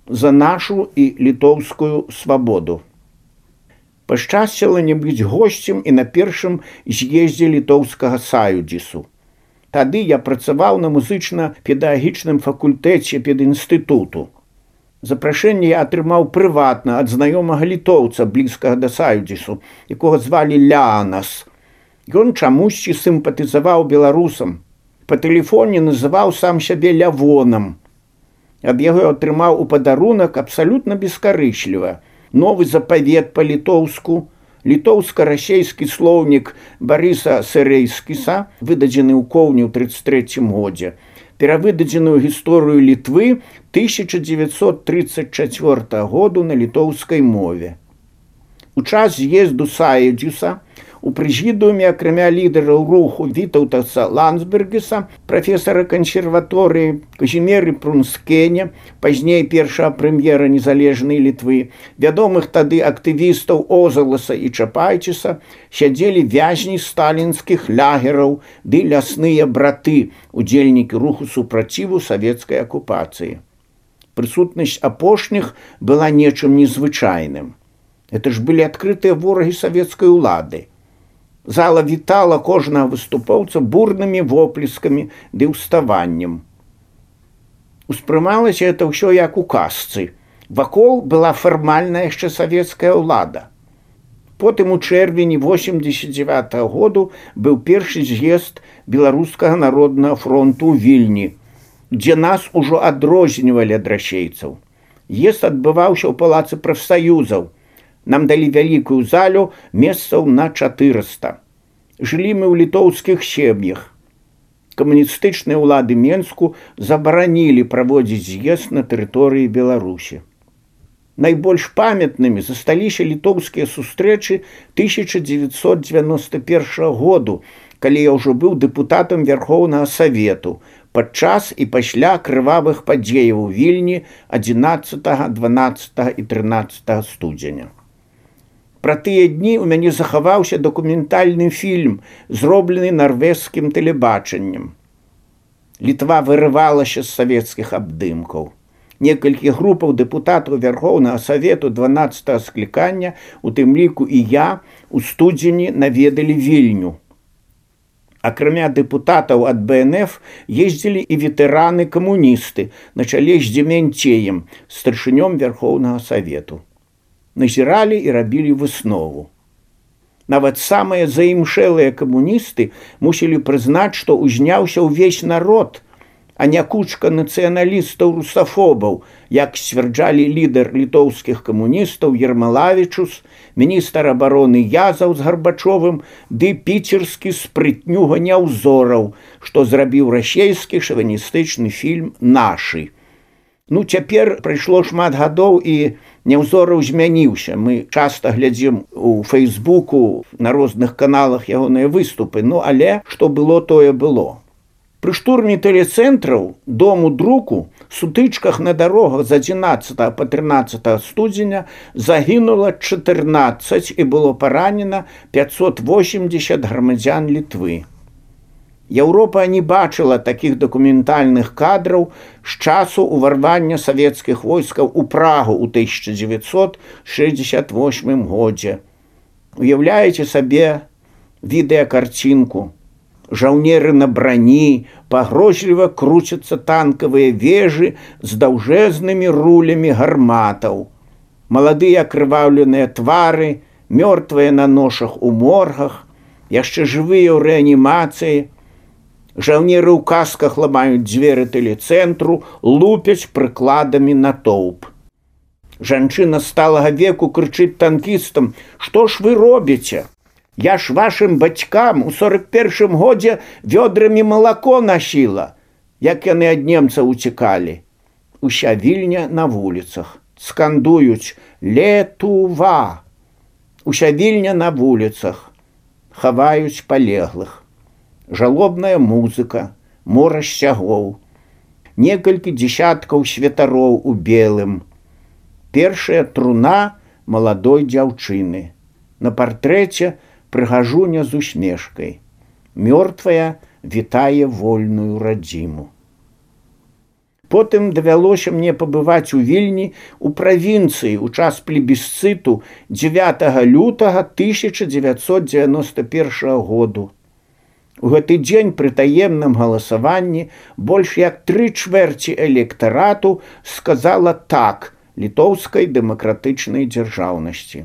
за нашу і літоўскую свабоду. Пашчасціла не быць госцем і на першым з'ездзе літоўскага саюдзісу. Тады я працаваў на музычна-педагагічным факультэце педінстытуту. Запрашэнне я атрымаў прыватна ад знаёмага літоўца, блізкага да саюдзісу, якога звалі Леанас. Ён чамусьці сімпатызаваў беларусам. Па тэлефоне называў сам сябе Лявонам. Ад яго атрымаў у падарунак абсалютна бескарычліва новы запавет па-літоўску, літоўска-расейскі слоўнік Барыса Сэрэйскіса, выдадзены ў коўні ў 1933 годзе, перавыдадзеную гісторыю Літвы 1934 году на літоўскай мове. У час з'езду саюдзіса у прэзідыуме акрамя лідараў руху Вітаўтаса Ландсбергеса, прафесара кансерваторыі Казімеры Прунскеня, пазней першага прэм'ера незалежнай Літвы, вядомых тады актывістаў Озаласа і Чапайчыса, сядзелі вязні сталінскіх лагераў ды лясныя браты, удзельнікі руху супраціву савецкай акупацыі. Прысутнасць апошніх была нечым незвычайным. Это ж былі адкрытыя ворагі савецкай улады. Зала вітала кожнага выступоўца бурнымі воплескамі ды ўставаннем. Успрымалася это ўсё як у казцы. Вакол была фармальная яшчэ савецкая ўлада. Потым у чэрвені 1989 году быў першы з'езд Беларускага народнага фронту ў Вільні, дзе нас ужо адрознівалі ад расейцаў. З'езд адбываўся ў палацы прафсаюзаў. Нам далі вялікую залю месцаў на 400. Жылі мы ў літоўскіх сем'ях. Камуністычныя ўлады Менску забаранілі праводзіць з'езд на тэрыторыі Беларусі. Найбольш памятнымі засталіся літоўскія сустрэчы 1991 году, калі я ўжо быў дэпутатам Вярхоўнага Савету, падчас і пасля крывавых падзеяў у Вільні 11, 12 і 13 студзеня. Пра тыя дні ў мяне захаваўся дакументальны фільм, зроблены нарвежскім тэлебачаннем. Літва вырывалася з савецкіх абдымкаў. Некалькі групаў дэпутатаў Вярхоўнага Савету 12 склікання, у тым ліку і я, у студзені наведалі Вільню. Акрамя дэпутатаў ад БНФ ездзілі і ветэраны-камуністы на чале з Дземянцеем, старшынём Вярхоўнага Савету. Назіралі і рабілі выснову. Нават самыя заімшэлыя камуністы мусілі прызнаць, што ўзняўся ўвесь народ, а не кучка нацыяналістаў-русафобаў, як сцвярджалі лідар літоўскіх камуністаў Ермалавічус, міністр абароны Язаў з Гарбачовым ды піцерскі спрытнюга Няўзораў, што зрабіў расейскі шавіністычны фільм «Нашы». Цяпер прайшло шмат гадоў і Няўзораў змяніўся. Мы часта глядзім у Фейсбуку, на розных каналах ягоныя выступы, але што было, тое было. Пры штурме тэлецэнтраў, дому друку, сутычках на дарогах з 11 па 13 студзеня загінула 14 і было паранена 580 грамадзян Літвы. Еўропа не бачыла такіх дакументальных кадраў з часу ўварвання савецкіх войскаў у Прагу ў 1968 годзе. Уяўляеце сабе відэакарцінку. Жаўнеры на брані, пагрозліва круцяцца танкавыя вежы з даўжэзнымі рулямі гарматаў. Маладыя акрываўленыя твары, мёртвыя на ношах у моргах, яшчэ жывыя ў рэанімацыі. Жаўнеры ў касках ламаюць дзверы тэлецэнтру, лупяць прыкладамі натоўп. Жанчына сталага веку крычыць танкістам: «Што ж вы робіце? Я ж вашым бацькам у 41 годзе вёдрамі малако насіла, як яны ад немцаў уцекалі». Уся Вільня на вуліцах. Скандуюць: «Летува!» Уся Вільня на вуліцах. Хаваюць палеглых. Жалобная музыка, мора сцягоў. Некалькі дзесяткаў святароў у белым. Першая труна маладой дзяўчыны. На партрэце прыгажуня з усмешкай. Мёртвая вітае вольную радзіму. Потым давялося мне пабываць у Вільні у правінцыі ў час плебісцыту 9 лютага 1991 году. У гэты дзень пры таемным галасаванні больш як 3/4 электарату сказала так літоўскай дэмакратычнай дзяржаўнасці.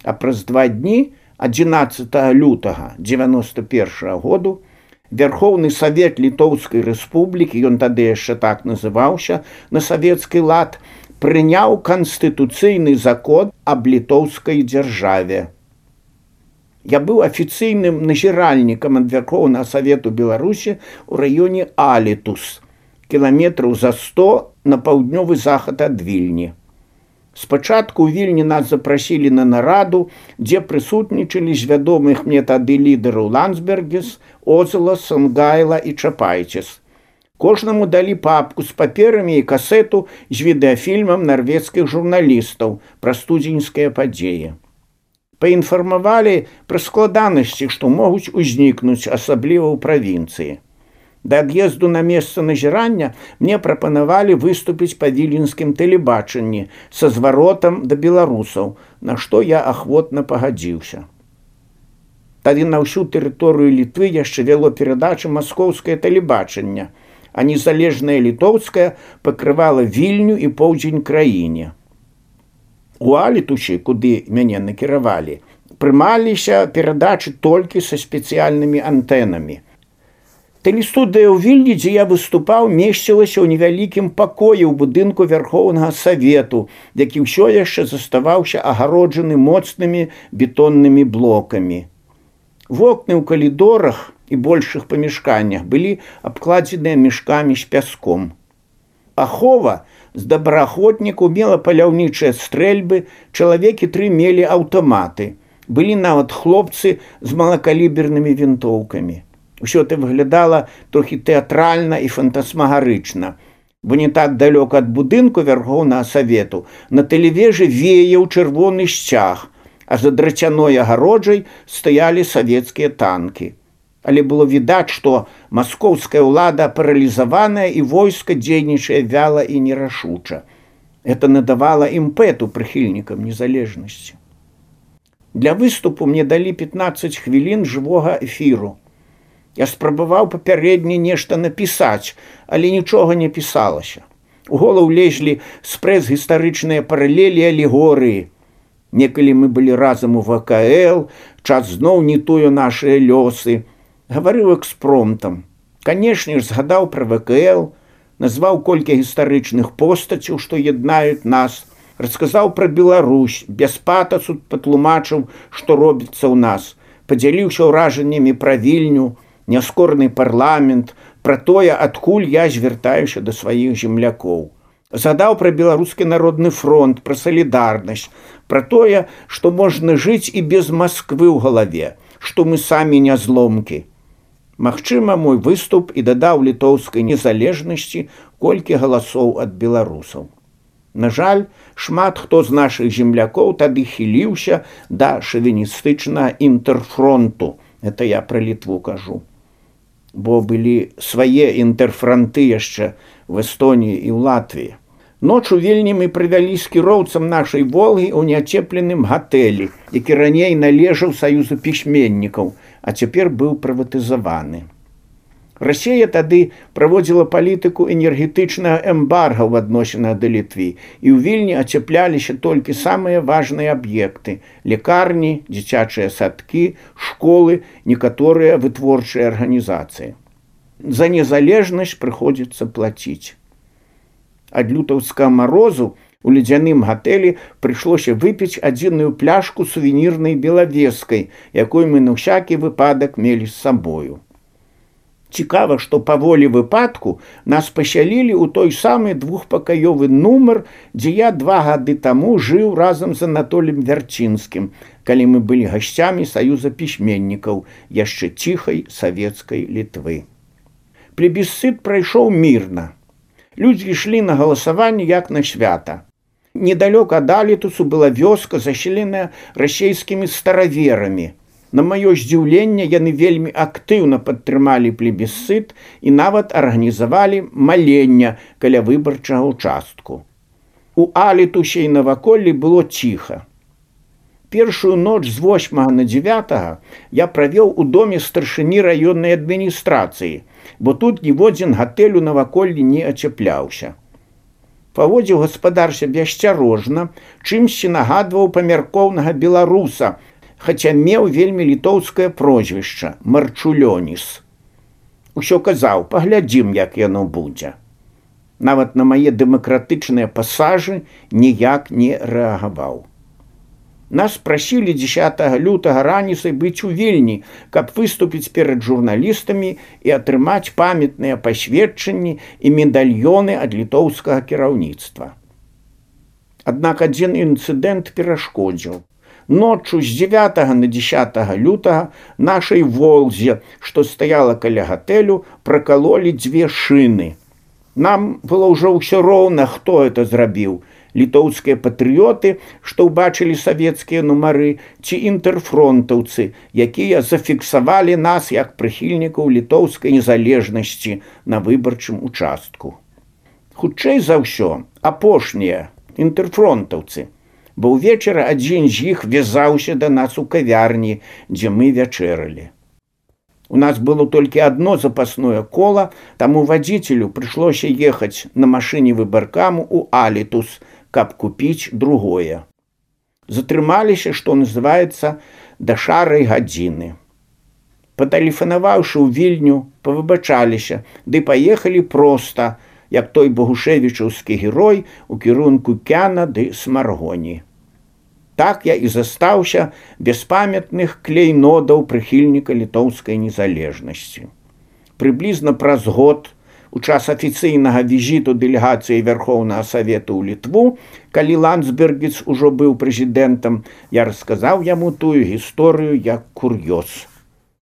А праз 2 дні, 11 лютага 1991 году, Верховны Савет Літоўскай Рэспублікі, ён тады яшчэ так называўся на савецкі лад, прыняў канстытуцыйны закон аб літоўскай дзяржаве. Я быў афіцыйным назіральнікам ад Верховнага Савету Беларусі ў раёне Алітус, кіламетраў за 100 на паўднёвы захад ад Вільні. Спачатку ў Вільні нас запрасілі на нараду, дзе прысутнічалі з вядомых мне тады лідараў Ландсбергіс, Озела, Сангайла і Чапайцес. Кожнаму далі папку з паперамі і касету з відэафільмам нарвежскіх журналістаў пра студзеньскія падзеі. Паінфармавалі пра складанасці, што могуць узнікнуць, асабліва ў правінцыі. Да ад'езду на месца назірання мне прапанавалі выступіць па віленскім тэлебачанні са зваротам да беларусаў, на што я ахвотна пагадзіўся. Тады на ўсю тэрыторыю Літвы яшчэ вяло перадачы маскоўскае тэлебачанне, а незалежнае літоўскае пакрывала Вільню і поўдзень краіне. У Алітусе, куды мяне накіравалі, прымаліся перадачы толькі са спецыяльнымі антэнамі. Тэлестудыя ў Вільні, дзе я выступаў, месцілася ў невялікім пакоі ў будынку Верховнага Савету, які ўсё яшчэ заставаўся агароджаны моцнымі бетоннымі блокамі. Вокны ў калідорах і большых памяшканнях былі абкладзеныя мешкамі з пяском. Ахова з добраахвотнікаў мела паляўнічыя стрэльбы, чалавекі 3 мелі аўтаматы. Былі нават хлопцы з малакалібернымі вінтоўкамі. Усё это выглядала трохі тэатральна і фантасмагарычна, бо не так далёка ад будынку Верховнага Савету на тэлевежы веяў чырвоны сцяг, а за драцяной агароджай стаялі савецкія танкі. Але было відаць, што маскоўская ўлада паралізаваная і войска дзейнічае вяла і нерашуча. Это надавала імпэту прыхільнікам незалежнасці. Для выступу мне далі 15 хвілін жывога эфіру. Я спрабаваў папярэдне нешта напісаць, але нічога не пісалася. У голову лезлі спрэс-гістарычныя паралелі і алегорыі. Некалі мы былі разам у ВКЛ, час зноў не тую нашыя лёсы. Гаварыў экспромтам. Канешне ж, згадаў пра ВКЛ, назваў колькі гістарычных постацяў, што яднаюць нас, расказаў пра Беларусь, без патасу патлумачыў, што робіцца ў нас, падзяліўся ўражаннямі пра Вільню, няскорны парламент, пра тое, адкуль я звяртаюся да сваіх землякоў. Згадаў пра Беларускі народны фронт, пра салідарнасць, пра тое, што можна жыць і без Масквы ў галаве, што мы самі не зломкі. Магчыма, мой выступ і дадаў літоўскай незалежнасці колькі галасоў ад беларусаў. На жаль, шмат хто з нашых землякоў тады хіліўся да шавіністычнага інтэрфронту. Это я пра Літву кажу. Бо былі свае інтэрфранты яшчэ в Эстоніі і ў Латвіі. Ноч у Вільні мы прывялі з кіроўцам нашай «Волгі» ў няцепленым гатэлі, які раней належаў Саюзу пісьменнікаў, а цяпер быў прыватызаваны. Расія тады праводзіла палітыку энергетычнага эмбарга ў адносінах да Літвы, і ў Вільні ацяпляліся толькі самыя важныя аб'екты – лекарні, дзіцячыя садкі, школы, некаторыя вытворчыя арганізацыі. За незалежнасць прыходзіцца плаціць. Ад лютаўскага марозу у ледзяным гатэлі прыйшлося выпіць адзіную пляшку сувенірнай белавескай, якой мы на ўсякі выпадак мелі з сабою. Цікава, што паволі выпадку нас пасялілі ў той самы двухпакаёвы нумар, дзе я 2 гады таму жыў разам з Анатолем Вярцінскім, калі мы былі гасцямі Саюза пісьменнікаў яшчэ ціхай савецкай Літвы. Плебісцыт прайшоў мірна. Людзі ішлі на галасаванне як на свята. Недалёка ад Алітусу была вёска, заселеная расейскімі стараверамі. На маё здзіўленне, яны вельмі актыўна падтрымалі плебісцыт і нават арганізавалі маленне каля выбарчага ўчастку. У Алітусе і наваколлі было ціха. Першую ноч з 8 на 9 я правёў у доме старшыні раённай адміністрацыі, бо тут ніводзін гатэль у наваколлі не ацяпляўся. Паводзіў гаспадар сябе асцярожна, чымсьці нагадваў памяркоўнага беларуса, хаця меў вельмі літоўскае прозвішча Марчулёніс. Усё казаў: паглядзім, як яно будзе. Нават на мае дэмакратычныя пасажы ніяк не рэагаваў. Нас прасілі 10 лютага раніцай быць у Вільні, каб выступіць перад журналістамі і атрымаць памятныя пасведчанні і медальёны ад літоўскага кіраўніцтва. Аднак адзін інцыдэнт перашкодзіў. Ноччу з 9 на 10 лютага нашай «Волзе», што стаяла каля гатэлю, пракалолі 2 шыны. Нам было ўжо ўсё роўна, хто это зрабіў. Літоўскія патрыёты, што ўбачылі савецкія нумары, ці інтэрфронтаўцы, якія зафіксавалі нас як прыхільнікаў літоўскай незалежнасці на выбарчым участку. Хутчэй за ўсё, апошнія, інтэрфронтаўцы, бо ўвечары адзін з іх вязаўся да нас у кавярні, дзе мы вячэралі. У нас было толькі адно запасное кола, таму вадзіцелю прыйшлося ехаць на машыне выбаркаму ў Алітус, каб купіць другое. Затрымаліся, што называецца, да шарай гадзіны. Патэлефанаваўшы ў Вільню, павыбачаліся, ды паехалі проста, як той богушевічаўскі герой у кірунку Кяна ды Смаргоні. Так я і застаўся без памятных клейнодаў прыхільніка літоўскай незалежнасці. Прыблізна праз год, у час афіцыйнага візіту дэлегацыі Вярхоўнага Савету ў Літву, калі Ландсбергіц ужо быў прэзідэнтам, я расказаў яму тую гісторыю як кур'ёз.